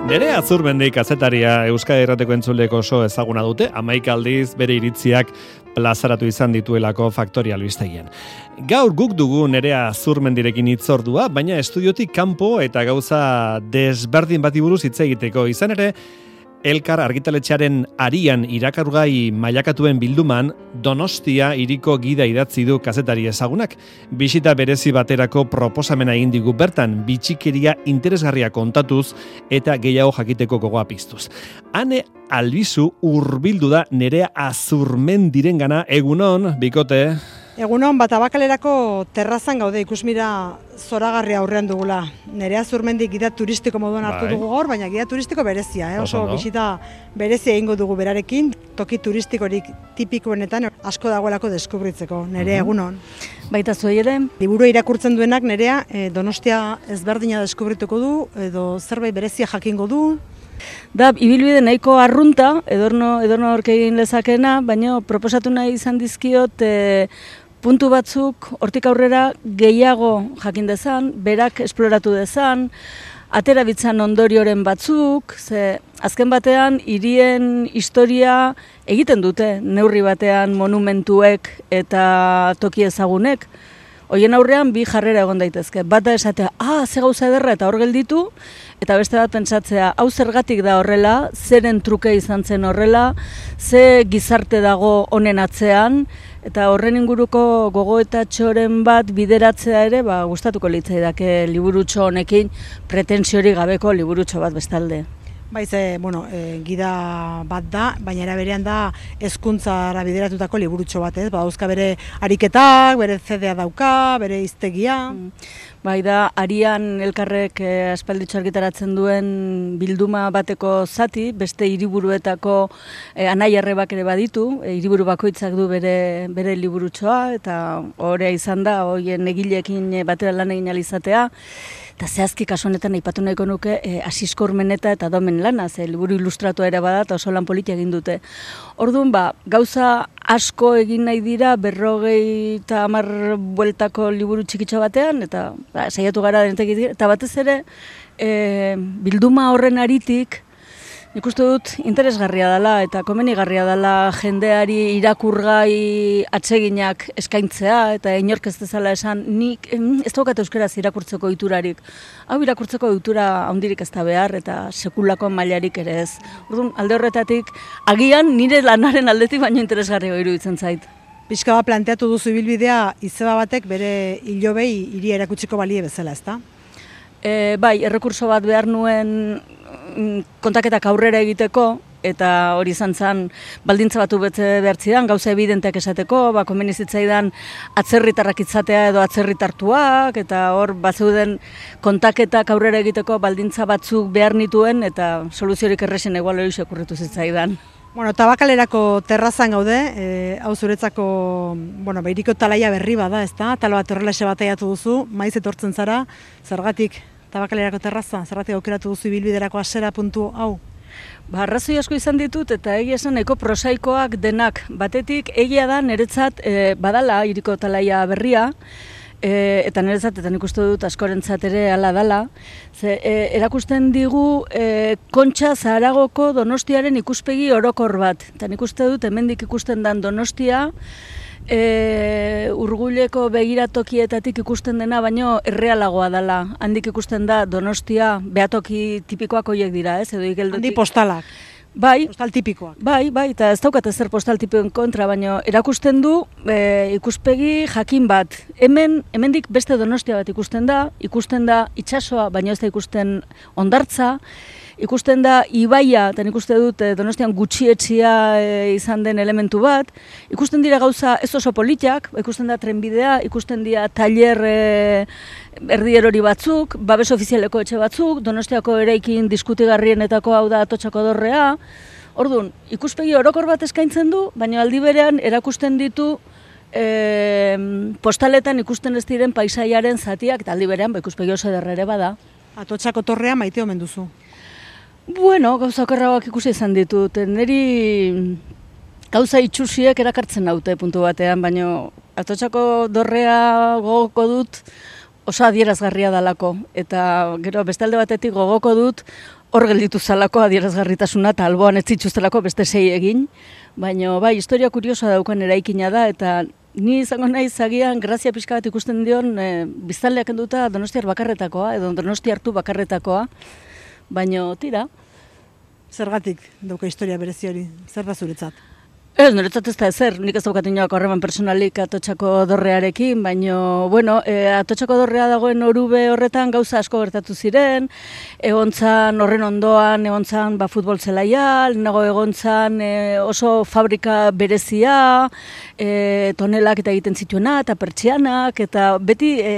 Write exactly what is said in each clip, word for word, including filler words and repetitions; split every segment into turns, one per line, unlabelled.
Nerea Azurmendi kazetaria Euskadi Irrateko entzuleko oso ezaguna dute, hamaika aldiz bere iritziak plazaratu izan dituelako Faktoria albistegian. Gaur guk dugu Nerea Azurmendirekin hitzordua, baina estudiotik kanpo eta gauza desberdin bati buruz hitz egiteko. Izan ere, Elkar argitaletxearen arian irakurgai mailakatuen bilduman Donostia hiriko gida idatzi du kazetari ezagunak. Bisita berezi baterako proposamena egin digu bertan, bitxikeria interesgarria kontatuz eta gehiago jakiteko gogoa piztuz. Ane Albizu hurbildu da Nerea Azurmendirengana. Egunon, bikote.
Egunon, bat abakalerako terrazan gaude, ikusmira zoragarria aurrean dugula. Nerea Azurmendi gida turistiko moduan hartu dugu gaur, baina gida turistiko berezia, eh? Oso bisita berezia egingo dugu berarekin, toki turistikorik tipikoenetan asko dagoelako deskubritzeko. Nerea, egunon.
Baita zuei ere.
Liburu irakurtzen duenak Nerea eh, Donostia ezberdina deskubrituko du, edo zerbait berezia jakingo du.
Da, ibilbide nahiko arrunta, edorno, edorno horke egin lezakena, baina proposatu nahi izan dizkiot e, puntu batzuk hortik aurrera gehiago jakin dezan, berak esploratu dezan, atera bitzan ondorioren batzuk, ze azken batean hirien historia egiten dute, neurri batean monumentuek eta toki ezagunek. Hoien aurrean bi jarrera egon daitezke. Bata esatea, ah, ze gauza ederra eta hor gelditu, eta beste bat pentsatzea, hau zergatik da horrela, zeren truke izan zen horrela, ze gizarte dago honen atzean, eta horren inguruko gogoetatxoren bat bideratzea ere, ba, gustatuko litzaidake liburutxo honekin, pretensiori gabeko liburutxo bat bestalde.
Baiz, e, bueno, e, gida bat da, baina era berean da hezkuntzara bideratutako liburutxo bat, ez? Badauzka bere ariketak, bere zedea dauka, bere hiztegia. Mm.
Bai da, arian elkarrek eh, aspalditxo argitaratzen duen bilduma bateko zati, beste hiriburuetako eh, anai arrebak ere baditu, eh, hiriburu bakoitzak du bere, bere liburutxoa, eta horea izan da, hoien egileekin batera lan egin alizatea. Eta zehazki kasu honetan aipatu nahiko nuke e, Asisko Urmeneta eta Domen lana, ze liburu ilustratua ere bada eta oso lan politia egin dute. Orduan, ba, gauza asko egin nahi dira berrogei eta hamar bueltako liburu txikitxo batean, eta ba, saiatu gara denetek egin, eta batez ere e, bilduma horren aritik, nik uste dut interesgarria dela eta komenigarria dela jendeari irakurgai atseginak eskaintzea eta inork ez dezala esan nik ez daukat euskaraz irakurtzeko ohiturarik. Hau irakurtzeko ohitura handirik ez da behar eta sekulako mailarik ere ez. Orduan, alde horretatik agian nire lanaren aldetik baino interesgarria iruditzen zait.
Pixka bat planteatu duzu ibilbidea izeba batek bere hilobei hiria erakutsiko balie bezala, ezta?
E, bai, errekurso bat behar nuen kontaketak aurrera egiteko, eta hori izan zen baldintza batu bete behar zidan, gauza evidenteak esateko, ba, komeni zitzaidan atzerritarrak itzatea edo atzerritartuak, eta hor bazeuden kontaketak aurrera egiteko baldintza batzuk behar nituen, eta soluziorik erresen egual hori sekurritu zitzaidan.
Bueno, tabakalerako terrazan gaude, e, hau zuretzako, bueno, behiriko talaia berri bada, ezta? Talo bat horrelaxe bataiatu duzu, maiz etortzen zara, zergatik tabakalerako terraza, zergatik aukeratu duzu ibilbiderako hasera puntu hau?
Ba, arrazoi asko izan ditut eta egia esan nahiko prosaikoak denak. Batetik egia da niretzat e, badala hiriko talaia berria, E, eta niretzat, eta nik uste dut askorentzat ere hala dala, ze, e, erakusten digu e, Kontxa Zaharagoko Donostiaren ikuspegi orokor bat. Eta nik uste dut hemendik ikusten den Donostia, e, Urgulleko begiratokietatik ikusten dena, baino errealagoa dela. Handik ikusten da Donostia, behatoki tipikoak horiek dira, ez? Edo igeldotik.
Handi postalak.
Bai,
postal tipikoak.
Bai, bai, eta ez daukat ezer postal tipikoen kontra, baina erakusten du e, ikuspegi jakin bat. Hemen, hemendik beste Donostia bat ikusten da, ikusten da itsasoa, baina ez da ikusten hondartza, ikusten da ibaia, eta nik uste dut Donostian gutxietxia e, izan den elementu bat, ikusten dira gauza ez oso politiak, ikusten da trenbidea, ikusten dira tailer e, erdierori batzuk, babes ofizialeko etxe batzuk, Donostiako eraikin diskutigarrienetako hau da Atotxako Dorrea. Orduan, ikuspegi orokor bat eskaintzen du, baina aldi berean erakusten ditu e, postaletan ikusten ez diren paisaiaren zatiak, eta aldi berean ba, ikuspegi oso ederra ere bada.
Atotxako Torrea maite omen duzu.
Bueno, gauza okerragoak ikusi izan ditut. Neri gauza itxusiek erakartzen naute puntu batean, baina Atotxako Dorrea gogoko dut oso adierazgarria dalako. Eta gero bestalde batetik gogoko dut hor gelditu zalako adierazgarritasuna eta alboan ez zituztelako beste sei egin, baina bai, historia kuriosoa daukan eraikina da, eta ni izango naiz agian grazia pixka bat ikusten dion e, biztanleak enduta Donostiar bakarretakoa, edo Donosti hartu bakarretakoa, baina tira.
Zergatik dauka historia berezi hori, zer da zuretzat?
Ez, niretzat ez da ezer, nik ez daukat inoak horreman personalik Atotxako dorrearekin, baina, bueno, e, Atotxako dorrea dagoen orube horretan gauza asko gertatu ziren, egontzan horren ondoan, egontzan ba, futbol zelaia, nago egontzan e, oso fabrika berezia, e, tonelak eta egiten zituena, eta pertsianak, eta beti e,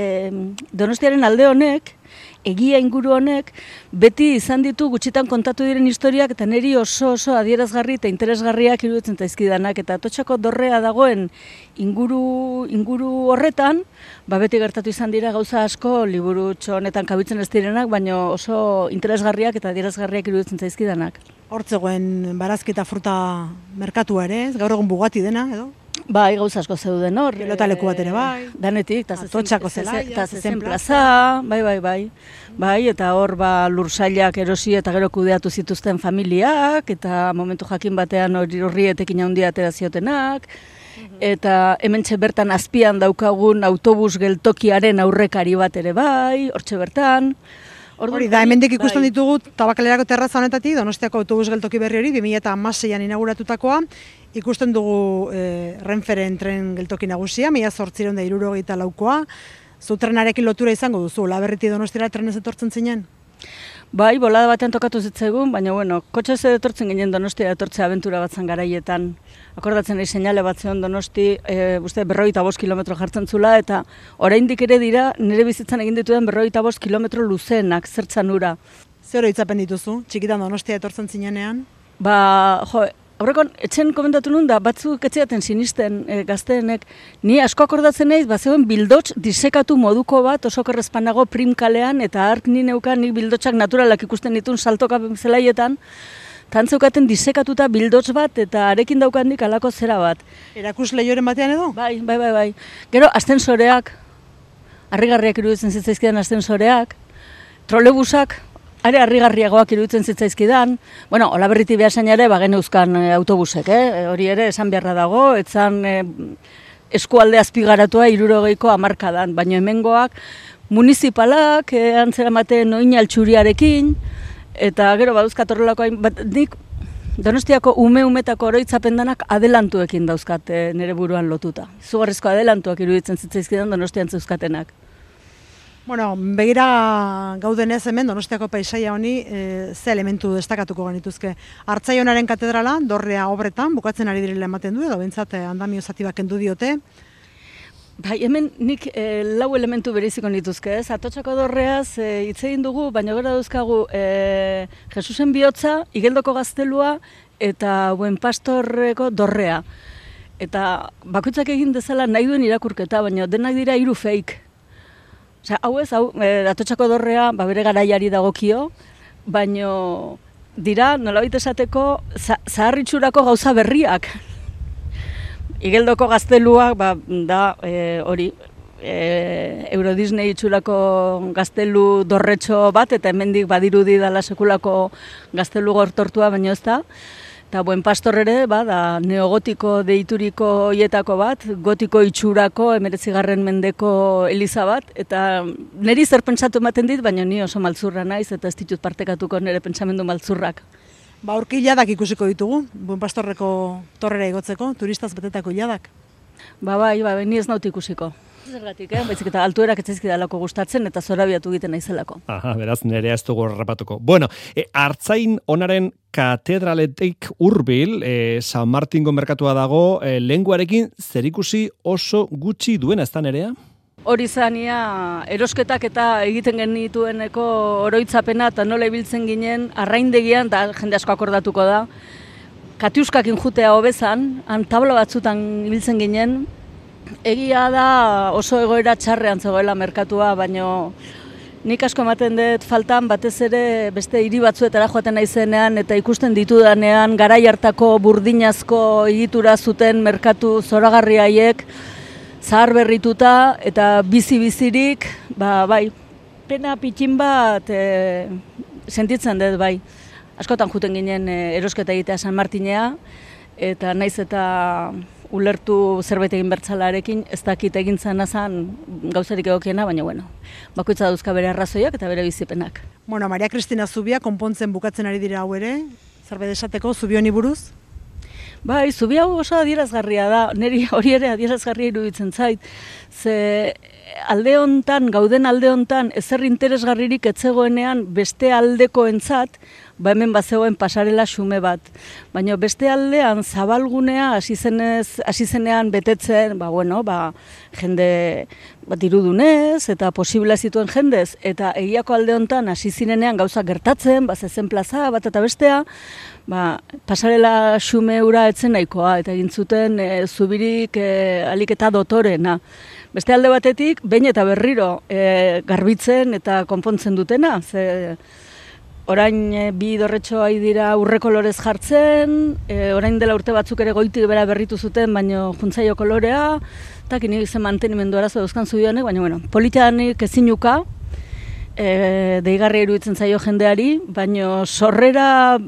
Donostiaren alde honek, egia inguru honek, beti izan ditu gutxitan kontatu diren historiak eta niri oso oso adierazgarri eta interesgarriak iruditzen zaizkidanak, eta Atotxako dorrea dagoen inguru, inguru horretan, ba beti gertatu izan dira gauza asko liburutxo honetan kabitzen ez direnak, baina oso interesgarriak eta adierazgarriak iruditzen zaizkidanak.
Hortzegoen barazki eta fruta merkatua ere, gaur egun Bugatti dena, edo?
Bai, gauza asko zeuden hor.
Pilotaleku bat ere bai.
Danetik,
Atotxako zelaia,
eta zezen plaza, bai, bai, bai. Bai, eta hor ba, lursailak erosi eta gero kudeatu zituzten familiak, eta momentu jakin batean hori horri etekin handia atera ziotenak, eta hementxe bertan azpian daukagun autobus geltokiaren aurrekari bat ere bai, hortxe bertan.
Hori da, hemendik ikusten ditugu Tabakalerako terraza honetatik, Donostiako autobus geltoki berri hori, bi mila hamaseian inauguratutakoa, ikusten dugu e, Renferen tren geltoki nagusia, mila zortziehun eta hirurogeita laukoa, zu trenarekin lotura izango duzu, Laberritik Donostira trenez etortzen zinen?
Bai, bolada batean tokatu zitzaigun, baina bueno, kotxez etortzen ginen Donostia etortzea abentura batzan garaietan. Akordatzen nahi seinale bat zeon Donosti, e, uste berrogeita bost kilometro jartzen zula, eta oraindik ere dira nire bizitzan egin dituen berrogeita bost kilometro luzeenak zertzan ura.
Zer oroitzapen dituzu, txikitan Donostia etortzen zinenean?
Ba, jo, aurrekon, etxen komentatu nun da, batzuk etxeaten sinisten e, gazteenek, ni asko akordatzen naiz, ba zegoen bildotx disekatu moduko bat, oso korrezpanago primkalean, eta hark ni neukan nik bildotxak naturalak ikusten ditun saltoka zelaietan, tantzeukaten disekatuta bildotx bat, eta arekin daukandik alako zera bat.
Erakus lehioren batean edo?
Bai, bai, bai, bai. Gero, astensoreak, harrigarriak iruditzen zitzaizkidan astensoreak, trolebusak, are harrigarriagoak iruditzen zitzaizkidan. Bueno, Olaberritik Beasain ere bagen euskan e, autobusek, eh? Hori ere esan beharra dago, etzan e, eskualde azpigaratua hirurogeiko hamarkadan, baina hemengoak municipalak, e, antzeramaten oin altxuriarekin, eta gero baduzkat horrelako hain, bat, nik Donostiako ume-umetako oroitzapen danak adelantuekin dauzkat e, nire buruan lotuta. Izugarrizko adelantuak iruditzen zitzaizkidan Donostian zeuzkatenak.
Bueno, begira gaudenez hemen Donostiako paisaia honi e, ze elementu destakatuko genituzke. Artzaionaren katedrala, dorrea obretan, bukatzen ari direla ematen du, edo bentsat andamio zati bat kendu diote.
Bai, hemen nik e, lau elementu bereziko nituzke, ez? Atotxako dorreaz e, hitz egin dugu, baina gara dauzkagu e, Jesusen bihotza, Igeldoko gaztelua eta Buen Pastorreko dorrea. Eta bakoitzak egin dezala nahi duen irakurketa, baina denak dira hiru fake. Osea, hau ez, hau, e, Atotxako dorrea, ba, bere garaiari dagokio, baina dira, nolabait esateko, zaharritxurako gauza berriak. Igeldoko gazteluak, ba, da, e, hori, e, Euro Disney itxurako gaztelu dorretxo bat, eta hemendik badirudi dala sekulako gaztelu gortortua, baina ez da. Eta Buen Pastor ere, ba, da, neogotiko deituriko hietako bat, gotiko itxurako emeretzigarren mendeko eliza bat, eta niri zer pentsatu ematen dit, baina ni oso maltzurra naiz, eta ez ditut partekatuko nire pentsamendu maltzurrak.
Ba, aurki iladak ikusiko ditugu, Buen Pastorreko torrera igotzeko, turistaz betetako iladak.
Ba, bai, ba, ni ez naut ikusiko. Zergatik, eh? Baizik eta altuerak etzaizkidalako gustatzen eta zorabiatu egiten naizelako.
Aha, beraz, nerea ez dugu errapatuko. Bueno, e, Artzain onaren katedraletik hurbil, e, San Martingo merkatua dago, e, lenguarekin zerikusi oso gutxi duena, ez da nerea?
Hori zania erosketak eta egiten genitueneko oroitzapena eta nola ibiltzen ginen arraindegian, eta jende asko akordatuko da, katiuskakin jutea hobezan, han tabla batzutan ibiltzen ginen. Egia da oso egoera txarrean zegoela merkatua, baino nik asko ematen dut faltan batez ere beste hiri batzuetara joaten naizenean eta ikusten ditudanean garai hartako burdinazko egitura zuten merkatu zoragarri haiek zahar berrituta eta bizi-bizirik, ba, bai, pena pitxin bat e, sentitzen dut bai. Askotan juten ginen erosketa egitea San Martinea, eta naiz eta ulertu zerbait egin bertzalarekin, ez dakit egin zena zan gauzarik egokiena, baina bueno, bakoitza dauzka bere arrazoiak eta bere bizipenak.
Bueno, Maria Kristina Zubia konpontzen bukatzen ari dira hau ere, zerbait esateko Zubi honi buruz?
Bai, Zubi hau oso adierazgarria da, niri hori ere adierazgarria iruditzen zait, ze alde hontan, gauden alde hontan, ezer interesgarririk etzegoenean beste aldekoentzat, ba hemen bazegoen pasarela xume bat. Baina beste aldean zabalgunea hasi zenez, hasi zenean betetzen, ba bueno, ba jende bat irudunez eta posible zituen jendez eta egiako alde hontan hasi zirenean gauzak gertatzen, ba zezen plaza bat eta bestea, ba pasarela xume hura etzen nahikoa eta egin zuten e, Zubirik e, alik eta dotorena. Beste alde batetik, behin eta berriro e, garbitzen eta konpontzen dutena, ze orain e, bi dorretxo ari dira urre kolorez jartzen, e, orain dela urte batzuk ere goitik bera berritu zuten, baino juntzaio kolorea, eta kini zen mantenimendu arazo dauzkan Zubionek, baina bueno, politianik ezinuka, e, deigarria iruditzen zaio jendeari, baino sorrera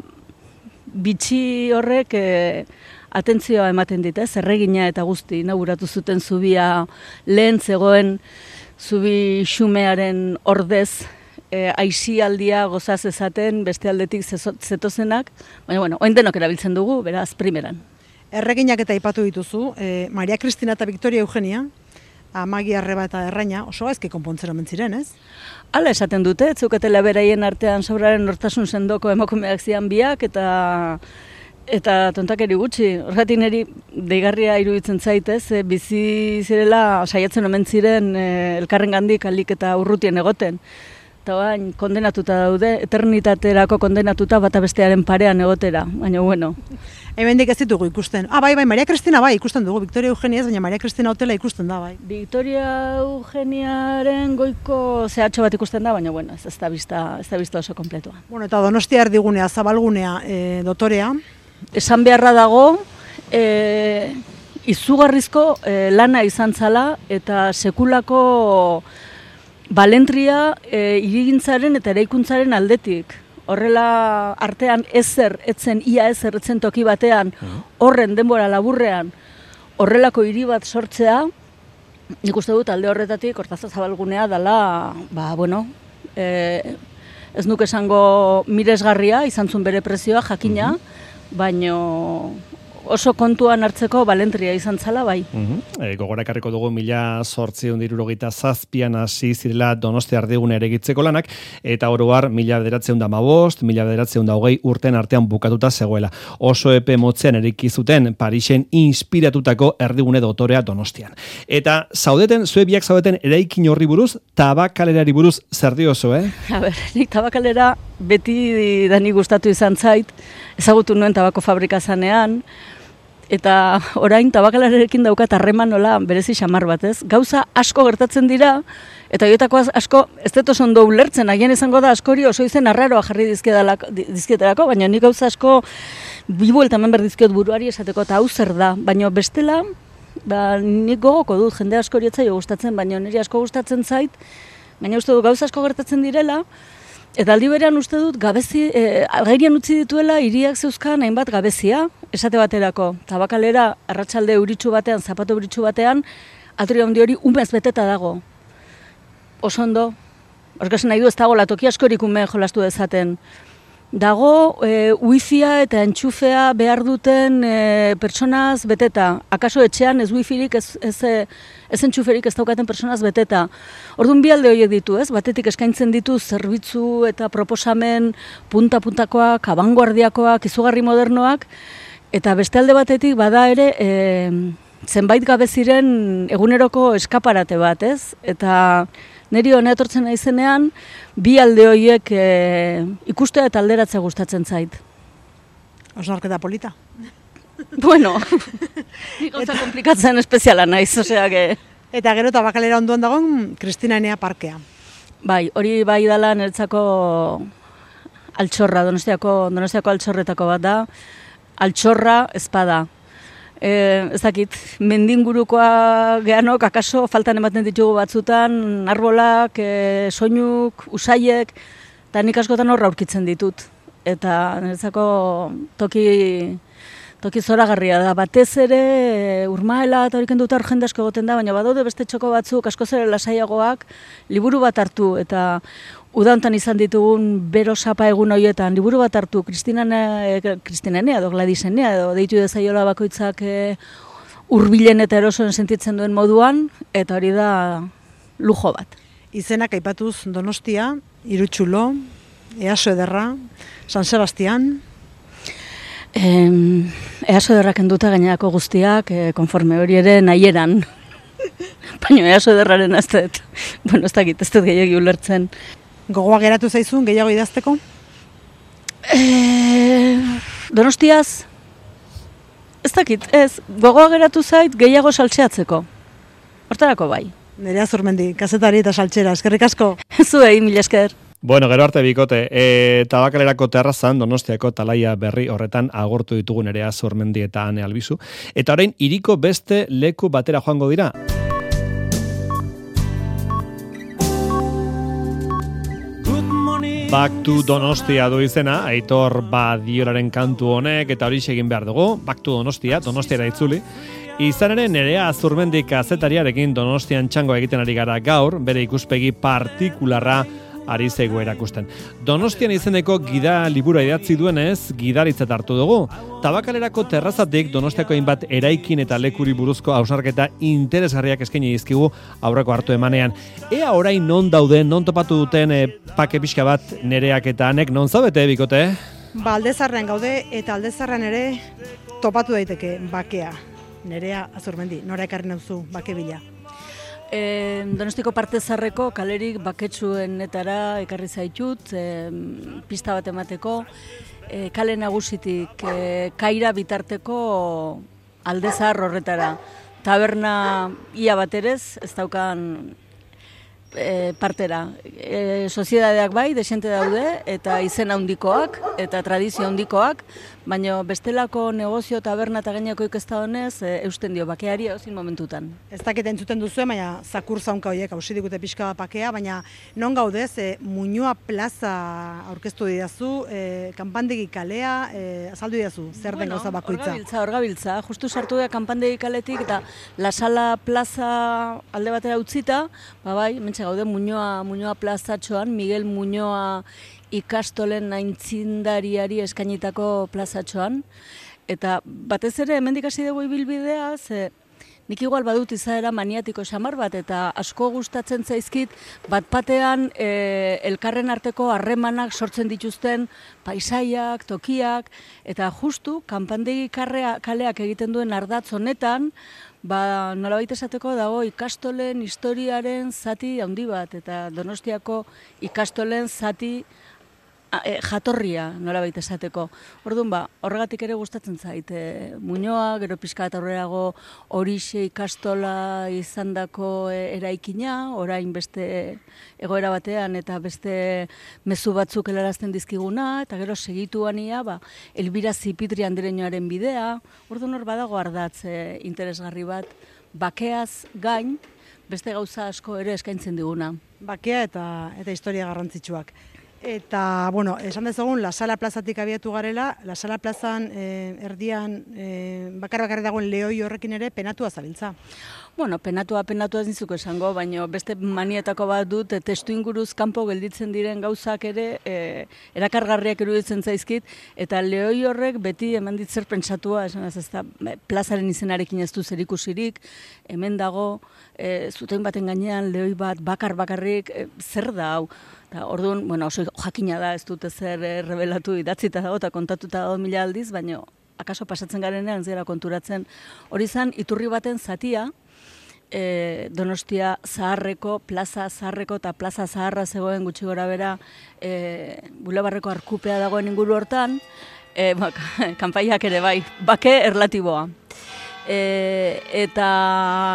bitxi horrek e, atentzioa ematen dit, ez? Erregina eta guzti inauguratu zuten Zubia lehen zegoen Zubi xumearen ordez, E, aisialdia gozaz ezaten beste aldetik zetozenak, baina bueno, oin denok erabiltzen dugu, beraz, primeran.
Erreginak eta aipatu dituzu, e, Maria Kristina eta Victoria Eugenia, Amagi Arreba eta Erraina, oso gaizki konpontzen omen ziren, ez?
Hala esaten dute, zeukatela beraien artean sobraren nortasun sendoko emakumeak zian biak, eta eta tontakeri gutxi. Horregatik niri deigarria iruditzen zaitez, e, bizi zirela saiatzen omen ziren e, elkarrengandik alik eta urrutien egoten. Eta bain, kondenatuta daude, eternitaterako kondenatuta bata bestearen parean egotera, baina bueno.
Hemendik ez ditugu ikusten. Ah, bai, bai, Maria Kristina bai ikusten dugu, Victoria Eugenia ez, baina Maria Kristina hotela ikusten da, bai.
Victoria Eugeniaren goiko zehatxo bat ikusten da, baina bueno, ez, ez da bizta, ez da bizta oso kompletua.
Bueno, eta Donostia erdigunea, zabalgunea, e, dotorea.
Esan beharra dago, e, izugarrizko e, lana izan zala eta sekulako balentria e, irigintzaren eta eraikuntzaren aldetik. Horrela artean ezer, etzen, ia ezer, etzen toki batean, horren denbora laburrean, horrelako hiri bat sortzea, nik uste dut alde horretatik, Hortaza Zabalgunea dela, ba, bueno, e, ez nuk esango miresgarria, izan zuen bere prezioa, jakina, baino oso kontuan hartzeko balentria izan zala, bai.
Uh-huh. E, gogorakarriko dugu mila zortziehun eta hirurogeita zazpian hasi zirela Donostia erdigune eregitzeko lanak, eta oro har mila bederatziehun eta hamabost, mila bederatziehun eta hogei urten artean bukatuta zegoela. Oso epe motzean eraiki zuten Parisen inspiratutako erdigune dotorea Donostian. Eta zaudeten, zue biak zaudeten eraikin horri buruz, Tabakalerari buruz zer diozu, eh?
A ber, nik Tabakalera beti dani gustatu izan zait, ezagutu nuen tabako fabrika zanean, eta orain Tabakalerekin daukat harreman nola berezi xamar bat, ez? Gauza asko gertatzen dira, eta horietako asko ez dut oso ondo ulertzen, agian izango da askori oso izen arraroa jarri dizkietarako, baina nik gauza asko bi buelta hemen berdizkiot buruari esateko, eta hau zer da, baina bestela, ba, nik gogoko dut, jende askori etzaio gustatzen, baina niri asko gustatzen zait, baina uste dut gauza asko gertatzen direla, eta aldi berean uste dut gabezi, e, algairian utzi dituela hiriak zeuzkan hainbat gabezia, esate baterako. Tabakalera arratsalde euritsu batean, zapato euritsu batean, atri handi hori umez beteta dago. Oso ondo, orkasen nahi du ez dago latoki askorik ume jolastu dezaten. Dago e, wifia eta entxufea behar duten e, pertsonaz beteta. Akaso etxean ez wifirik, ez, ez, ez entxuferik ez daukaten pertsonaz beteta. Orduan bi alde horiek ditu, ez? Batetik eskaintzen ditu zerbitzu eta proposamen punta-puntakoak, abanguardiakoak, izugarri modernoak, eta beste alde batetik bada ere e, zenbait gabeziren eguneroko eskaparate bat, ez? Eta niri hona etortzen naizenean, bi alde horiek e, ikustea eta alderatzea gustatzen zait.
Osnarketa polita.
Bueno, ni gauza komplikatzen espeziala naiz, osea que...
Eta gero Tabakalera onduan dagoen Kristina Enea parkea.
Bai, hori bai dela niretzako altxorra, Donostiako, Donostiako altxorretako bat da, altxorra ezpada. E, ez dakit, mendingurukoa gehanok, akaso faltan ematen ditugu batzutan, arbolak, e, soinuk, usaiek, eta nik askotan horra aurkitzen ditut. Eta niretzako toki, toki zoragarria da. Batez ere Urmaela eta horiken dut jende asko egoten da, baina badaude beste txoko batzuk askoz ere lasaiagoak liburu bat hartu eta uda hontan izan ditugun bero sapa egun horietan liburu bat hartu Kristinenea edo Gladisenea edo deitu dezaiola bakoitzak e, hurbilen eta erosoen sentitzen duen moduan, eta hori da lujo bat.
Izenak aipatuz Donostia, Irutxulo, Easo Ederra, San Sebastian.
Eh, Easo Ederra kenduta gainerako guztiak, eh, konforme hori ere nahieran. Baina Easo Ederraren ez dut, bueno, ez dakit, ez dut gehiagi ulertzen.
Gogoa geratu zaizun, gehiago idazteko?
Eh, Donostiaz, ez dakit, ez, gogoa geratu zait gehiago saltzeatzeko. Hortarako bai.
Nerea Zurmendi, kazetari eta saltxera, eskerrik asko.
Zuei, mila esker.
Bueno, gero arte bikote, e, Tabakalerako terrazan Donostiako talaia berri horretan agortu ditugu Nerea Zurmendi eta Ane Albizu. Eta orain hiriko beste leku batera joango dira. Back to Donostia du izena, Aitor Badiolaren kantu honek, eta hori egin behar dugu, Back to Donostia, Donostiara itzuli. Izan ere Nerea Zurmendi kazetariarekin Donostian txango egiten ari gara gaur, bere ikuspegi partikularra ari zego erakusten. Donostian izeneko gida libura idatzi duenez, gidaritzat hartu dugu. Tabakalerako terrazatik Donostiako hainbat eraikin eta lekuri buruzko hausnarketa interesgarriak eskaini dizkigu aurreko hartu emanean. Ea orain non dauden, non topatu duten e, pake pixka bat Nereak eta Anek, non zaudete bikote?
Ba, Aldezarrean gaude eta Aldezarrean ere topatu daiteke bakea. Nerea Zurmendi, nora ekarri nauzu bake bila?
E, Donostiko parte zarreko kalerik baketsuenetara ekarri zaitut, e, pista bat emateko, e, kale nagusitik e, kaira bitarteko Aldezar horretara. Taberna ia baterez, ez daukan e, partera. E, Soziedadeak bai, desente daude, eta izen handikoak, eta tradizio handikoak, baina bestelako negozio taberna eta gaineko ikesta honez e, eusten dio bakeari ezin momentutan.
Ez dakit entzuten duzu, baina zakur zaunka horiek hausi digute pixka bakea, baina non gaudez, e, Muñoa plaza aurkeztu didazu, e, kanpandegi kalea, e, azaldu didazu, zer den
bueno,
gauza bakoitza?
Orgabiltza, orgabiltza, justu sartu da kanpandegi kaletik eta La Sala plaza alde batera utzita, ba bai, mentxe gaude Muñoa, Muñoa plazatxoan, Miguel Muñoa ikastolen aintzindariari eskainitako plazatxoan. Eta batez ere hemendik hasi dugu ibilbidea, ze nik igual badut izaera maniatiko xamar bat, eta asko gustatzen zaizkit bat batean e, elkarren arteko harremanak sortzen dituzten paisaiak, tokiak, eta justu kanpandegi karrea, kaleak egiten duen ardatz honetan, ba, nolabait esateko dago ikastolen historiaren zati handi bat, eta Donostiako ikastolen zati E, jatorria nolabait esateko. Orduan ba, horregatik ere gustatzen zait. E, Muñoa, gero pixka eta aurrerago Horixe ikastola izandako e, eraikina, orain beste egoera batean eta beste mezu batzuk helarazten dizkiguna, eta gero segituania, ba, Elbira Zipitri Andereñoaren bidea. Orduan hor badago ardatz e, interesgarri bat, bakeaz gain, beste gauza asko ere eskaintzen diguna.
Bakea eta eta historia garrantzitsuak. Eta, bueno, esan dezagun, La Sala plazatik abiatu garela, La Sala plazan eh, erdian eh, bakar-bakarri dagoen lehoi horrekin ere penatua zabiltza.
Bueno, penatua, penatua ez nizuko esango, baina beste manietako bat dut, e, testu inguruz kanpo gelditzen diren gauzak ere e, erakargarriak iruditzen zaizkit, eta lehoi horrek beti eman dit zer pentsatua, esan ez da, plazaren izenarekin ez du zerikusirik, hemen dago, e, zuten baten gainean lehoi bat bakar-bakarrik, e, zer da hau? Ta, orduan, bueno, oso jakina da, ez dute zer e, rebelatu idatzita dago eta kontatuta dago mila aldiz, baina akaso pasatzen garenean zera konturatzen hori zan, iturri baten zatia, E, Donostia zaharreko, plaza zaharreko eta plaza zaharra zegoen gutxi gora bera e, bulebarreko arkupea dagoen inguru hortan, e, ba, kanpaiak ere bai, bake erlatiboa. E, eta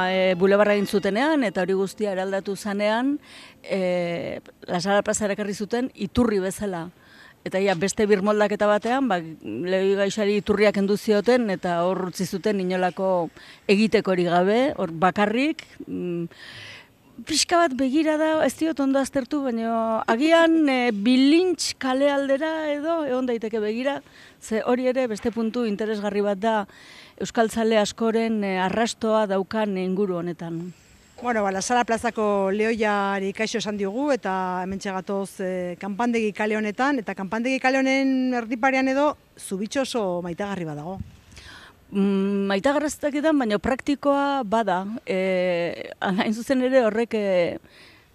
e, bulebarra egin zutenean, eta hori guztia eraldatu zanean, e, La Sala plaza erakarri zuten iturri bezala. Eta ia, beste birmoldaketa batean, ba, lehoi gaixari iturriak kendu zioten, eta hor utzi zuten inolako egitekorik gabe, hor bakarrik, mm, pixka bat begira da, ez diot ondo aztertu, baina agian e, bilintx kale aldera edo egon daiteke begira, ze hori ere beste puntu interesgarri bat da euskaltzale askoren e, arrastoa daukan inguru honetan.
Bueno, ba, Lasala plazako lehoiari kaixo esan diogu eta hementxe gatoz e, kanpandegi kale honetan, eta kanpandegi kale honen erdiparean edo zubitxo oso maitagarri badago.
Mm, maitagarraztaketan, baina praktikoa bada. E, hain zuzen ere horrek e,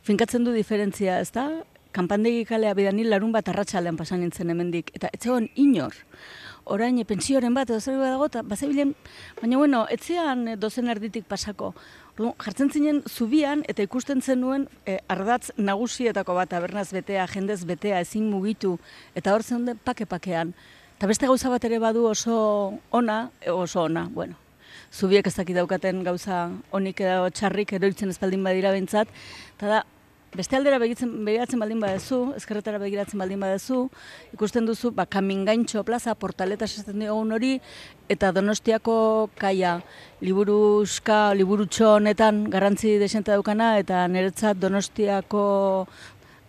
finkatzen du diferentzia, ez da? Kanpandegi kalea bidanil larun bat arratsalean pasan nintzen hemendik, eta etzegoen inor. Orain pentsioren bat edo zer dago, eta bazebilen, baina bueno, etzean dozen erditik pasako. Jartzen zinen zubian eta ikusten zenuen e, ardatz nagusietako bat, tabernaz betea, jendez betea, ezin mugitu, eta hor zeuden pake-pakean. Eta beste gauza bat ere badu oso ona, oso ona, bueno, zubiek ez dakit daukaten gauza onik edo txarrik eroitzen espaldin badira behintzat, eta da, beste aldera begiratzen baldin badezu, ezkerretara begiratzen baldin badezu, ikusten duzu, ba, Kamingaintxo plaza, Portaletas esaten dugun hori, eta Donostiako kaia, liburuska, liburutxo honetan garrantzi desente daukana, eta niretzat Donostiako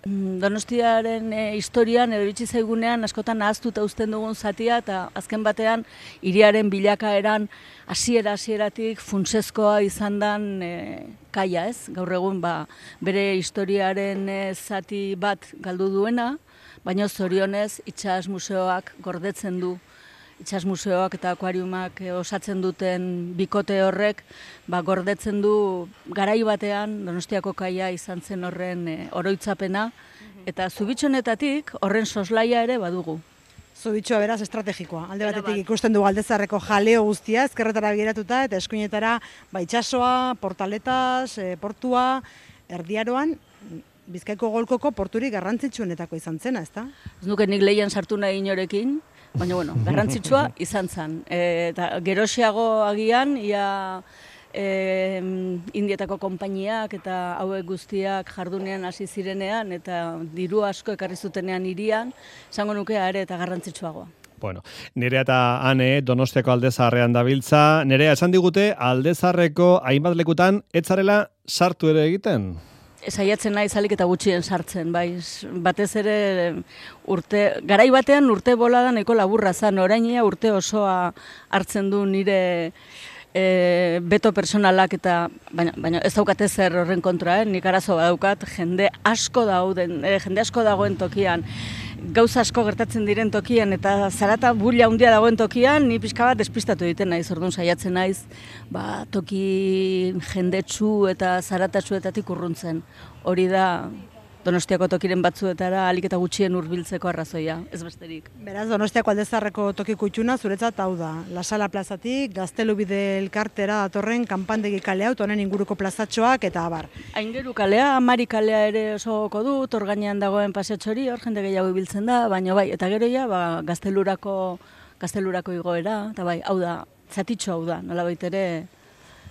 Donostiaren e, historian edo iritsi zaigunean askotan ahaztuta uzten dugun zatia, eta azken batean hiriaren bilakaeran hasiera hasieratik funtsezkoa izan dan e, kaia, ez? Gaur egun ba, bere historiaren e, zati bat galdu duena, baina zorionez itsas museoak gordetzen du. Itsas museoak eta akuariumak e, osatzen duten bikote horrek ba, gordetzen du garai batean Donostiako kaia izan zen horren e, oroitzapena, eta zubitxonetatik horren soslaia ere badugu.
Zubitxoa beraz estrategikoa. Alde batetik ikusten du Galdezarreko jaleo guztia, ezkerretara begiratuta, eta eskuinetara ba, itsasoa, Portaletas, e, portua, Erdiaroan, Bizkaiko golkoko porturik garrantzitsuenetako izan zena, ezta?
Ez nuke nik lehian sartu nahi inorekin, baina bueno, garrantzitsua izan zen. E, eta geroxeago agian, ia e, Indietako konpainiak eta hauek guztiak jardunean hasi zirenean, eta diru asko ekarri zutenean hirian, esango nuke ere eta garrantzitsuagoa.
Bueno, Nerea eta Ane Donostiako Aldezarrean dabiltza. Nerea, esan digute Aldezarreko hainbat lekutan etzarela sartu ere egiten?
Saiatzen naiz alik eta gutxien sartzen, bai, batez ere urte, garai batean urte bolada nahiko laburra zan, orainia urte osoa hartzen du nire e, beto personalak, eta baina, baina ez daukate zer horren kontra, eh? Nik arazo badaukat, jende asko dauden, eh, jende asko dagoen tokian, gauza asko gertatzen diren tokian, eta zarata bulla handia dagoen tokian, ni pixka bat despistatu egiten naiz, orduan saiatzen naiz, ba, toki jendetsu eta zaratatsuetatik urruntzen. Hori da Donostiako tokiren batzuetara alik eta gutxien hurbiltzeko arrazoia, ez besterik.
Beraz, Donostiako Aldezarreko toki kutxuna zuretzat hau da. Lasala plazatik, Gaztelubide elkartera datorren kanpandegi kalea, honen inguruko plazatxoak eta abar.
Aingeru kalea, Amari kalea ere oso goko dut, hor gainean dagoen paseatxori, hor jende gehiago ibiltzen da, baina bai, eta gero ja, ba, Gaztelurako, Gaztelurako igoera, eta bai, hau da, zatitxo hau da, nolabait ere.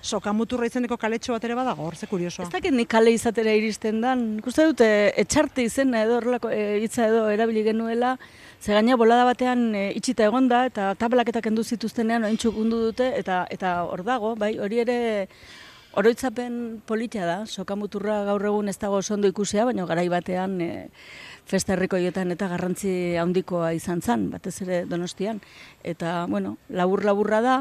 Sokamuturra izeneko kaletxo bat ere badago, hor ze kuriosoa.
Ez dakit nik kale izatera iristen dan, ikuste dute etxarte izena edo horrelako e, hitza edo erabili genuela, ze gaina bolada batean e, itxita egonda eta tablaketak kendu zituztenean oraintsu gundu dute, eta eta hor dago, bai, hori ere oroitzapen politia da. Sokamuturra gaur egun ez dago oso ondo ikusia, baina garai batean e, festa herrikoietan eta garrantzi handikoa izan zen, batez ere Donostian, eta bueno, labur laburra da.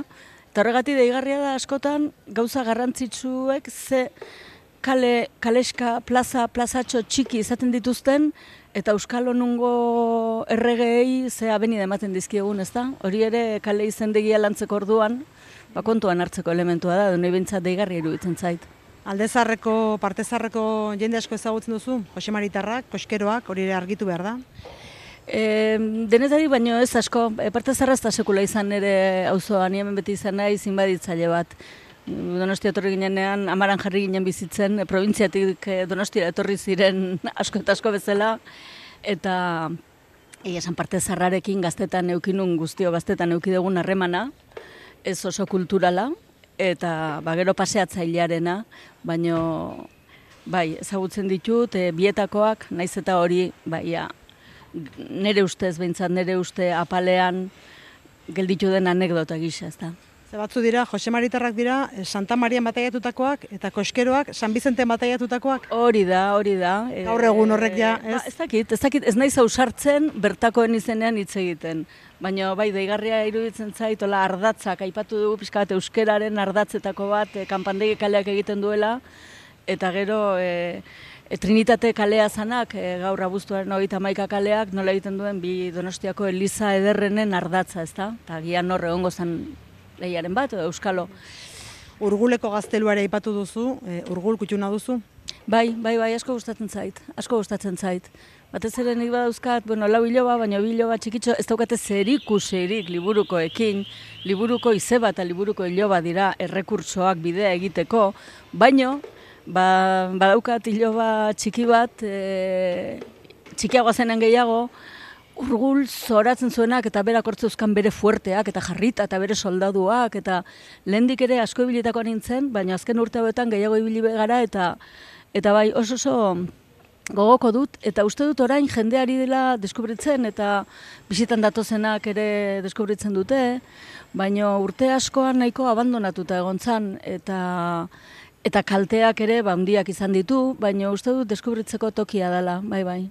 Eta horregatik deigarria da askotan gauza garrantzitsuek ze kale, kaleska, plaza, plazatxo txiki izaten dituzten, eta Euskal Honungo erregeei ze abenida ematen dizkiegun, ez da? Hori ere kale izendegia lantzeko orduan, ba, kontuan hartzeko elementua da, dune bintzat deigarria iruditzen zait.
Aldezarreko, partezarreko jende asko ezagutzen duzu? Jose Maritarrak, koskeroak, hori ere argitu behar da?
E, denetari baino ez asko, e, partezarra ez da sekula izan ere auzoan, ni hemen beti izan nahi zinbaditzaile bat. Donostia etorri ginenean, Amaran jarri ginen bizitzen, e, probintziatik e, Donostia etorri ziren asko eta asko bezala, eta egia esan partezarrarekin gaztetan eukinun guztio gaztetan eukidegun harremana, ez oso kulturala, eta ba, gero paseatzailearena, baino bai, ezagutzen ditut, e, bietakoak, naiz eta hori, bai, ja, nere ustez, behintzat nere uste apalean gelditu den anekdota gisa, ez da.
Ze batzu dira, Jose Maritarrak dira, Santa Marian bataiatutakoak, eta Koskeroak, San Bizenten bataiatutakoak.
Hori da, hori da.
Gaur egun horrek ja, ez?
Ba, ez dakit, ez dakit, ez naiz ausartzen bertakoen izenean hitz egiten. Baina bai, deigarria iruditzen zait, hola ardatzak, aipatu dugu pixka bat euskeraren ardatzetako bat, e, kanpandegi kaleak egiten duela, eta gero e, e, Trinitate kalea zanak, e, gaur abuztuaren hogeita hamaika kaleak, nola egiten duen bi Donostiako Eliza ederrenen ardatza, ezta? Eta gian hor egongo zen lehiaren bat, edo euskalo.
Urguleko gazteluare aipatu duzu, e, urgul kutxuna duzu?
Bai, bai, bai, asko gustatzen zait, asko gustatzen zait. Batez ere nik badauzkat, bueno, lau hiloba, baina bi hiloba txikitxo, ez daukate zerikusirik liburukoekin, liburuko izeba eta liburuko hiloba dira errekurtsoak bidea egiteko, baino, ba, badaukat hiloba txiki bat, e, txikiagoa zenen gehiago, urgul zoratzen zuenak eta berak hortzeuzkan bere fuerteak eta jarrita eta bere soldaduak eta lehendik ere asko ibilitakoa nintzen, baina azken urte hauetan gehiago ibili gara eta eta bai oso oso gogoko dut eta uste dut orain jendeari dela deskubritzen eta bisitan datozenak ere deskubritzen dute, baina urte askoan nahiko abandonatuta egon zan eta eta kalteak ere handiak izan ditu, baina uste dut deskubritzeko tokia dela, bai bai.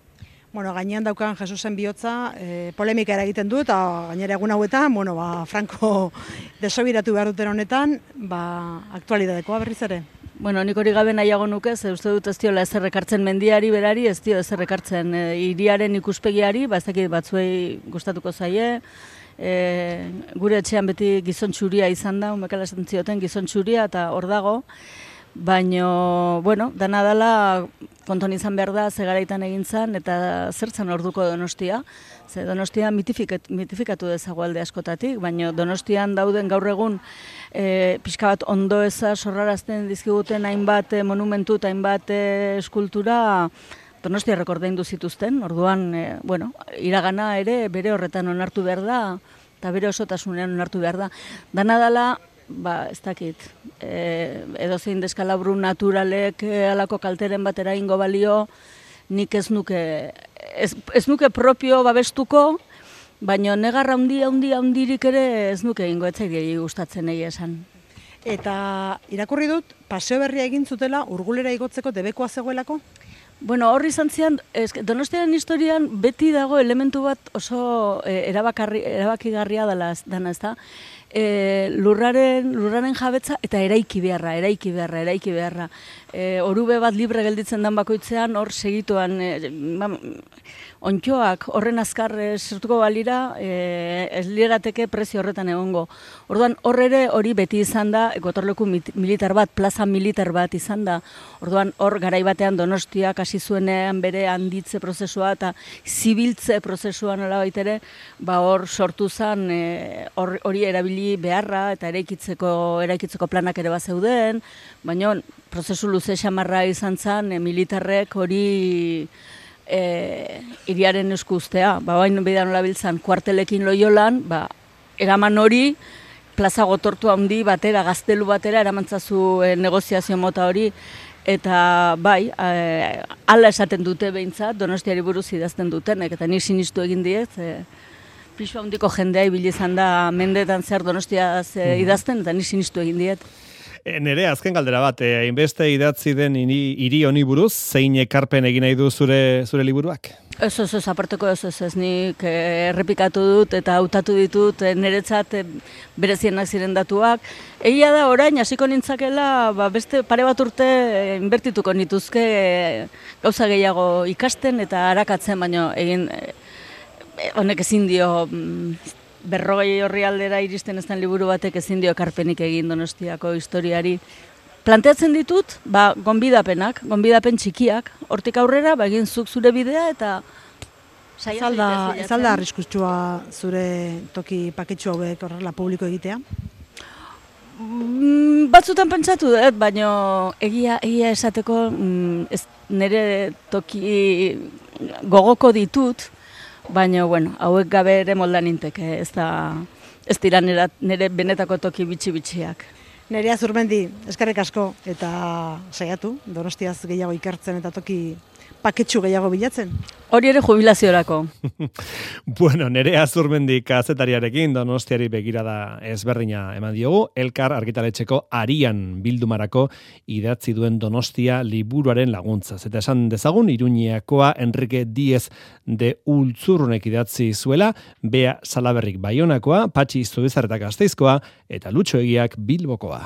Bueno, gainean daukan Jesusen bihotza, e, polemika eragiten du, eta gainera egun hauetan, bueno, ba, Franco desobiratu behar duten honetan, ba, aktualidadekoa berriz ere.
Bueno, nik hori gabe nahiago nuke, ze uste dut ez diola ezer ekartzen mendiari berari, ez dio ezer ekartzen e, hiriaren ikuspegiari, ba ez dakit batzuei gustatuko zaie, e, gure etxean beti gizon txuria izan da, umekala esan zioten gizon txuria, eta hor dago, baina, bueno, dana dela konton izan behar da, ze garaitan egin zen, eta zertzen orduko Donostia. Ze Donostia mitifikat, mitifikatu dezago alde askotatik, baina Donostian dauden gaur egun e, pixka bat ondo eza sorrarazten dizkiguten hainbat e, monumentu eta hainbat e, eskultura Donostia rekordaindu zituzten, orduan, e, bueno, iragana ere bere horretan onartu behar da, eta bere osotasunean onartu behar da. Dana dela, ba, ez dakit, e, edozein deskalabru naturalek e, alako kalteren batera ingo balio, nik ez nuke, ez, ez nuke propio babestuko, baina negarra handi, handi, handirik ere ez nuke ingo etzaidei gustatzen egia esan.
Eta irakurri dut, paseo berria egin zutela urgulera igotzeko debekoa zegoelako?
Bueno, horri izan zian, Donostiaren historian beti dago elementu bat oso e, erabakigarria dela, dana, ez da? E, lurraren, lurraren jabetza eta eraiki beharra, eraiki beharra, eraiki beharra. E, orube bat libre gelditzen dan bakoitzean, hor segituan, e, ma, ontxoak horren azkar e, sartuko balira, e, ez lirateke prezio horretan egongo. Orduan, hor ere hori beti izan da, gotorleku militar bat, plaza militar bat izan da. Orduan, hor garaibatean Donostiak hasi zuenean bere handitze prozesua eta zibiltze prozesua nola baitere, ba hor sortu zen hori erabili beharra eta eraikitzeko, eraikitzeko planak ere bazeuden, baina prozesu luze xamarra izan zen e, militarrek hori e, iriaren esku ustea. Ba, bain bidean nola biltzan kuartelekin Loiolan, ba, eraman hori, plaza gotortu handi batera, gaztelu batera, eramantzazu e, negoziazio mota hori, eta bai, e, ala esaten dute behintzat, Donostiari buruz idazten dutenek, eta ni sinistu egin diet, e, pixu handiko jendea ibili izan da mendetan zer Donostiaz e, idazten, eta ni sinistu egin diet.
E, nere, azken galdera bat, hainbeste e, idatzi den hiri honi buruz, zein ekarpen egin nahi du zure, zure liburuak?
Ez, ez, ez, aparteko ez, ez, ez, nik errepikatu dut eta hautatu ditut niretzat berezienak ziren datuak. Egia da, orain, hasiko nintzakela, ba, beste pare bat urte inbertituko nituzke gauza gehiago ikasten eta arakatzen, baino egin honek ezin dio berrogei horri aldera iristen ez den liburu batek ezin dio ekarpenik egin Donostiako historiari. Planteatzen ditut, ba, gonbidapenak, gonbidapen txikiak, hortik aurrera, ba, egin zuk zure bidea eta
saiatu. Ez alda arriskutsua zure toki paketxu hauek horrela publiko egitea?
Mm, batzutan pentsatu dut, baina egia, egia esateko mm, ez, nire toki gogoko ditut, baina, bueno, hauek gabe ere moldan ninteke, ez da, ez dira nire, nire benetako toki bitxi-bitxiak.
Nerea Zurmendi, eskerrik asko eta saiatu, Donostiaz gehiago ikertzen eta toki paketxu gehiago bilatzen.
Hori ere jubilaziorako.
Bueno, Nerea Zurmendi kazetariarekin Donostiari begirada ezberdina eman diogu, Elkar argitaletxeko Arian bildumarako idatzi duen Donostia liburuaren laguntzaz. Eta esan dezagun, Iruñeakoa Enrique Díez de Ultzurrunek idatzi zuela, Bea Salaberrik Baionakoa, Patxi Zubizarretak Gasteizkoa, eta Lutxo Egiak Bilbokoa.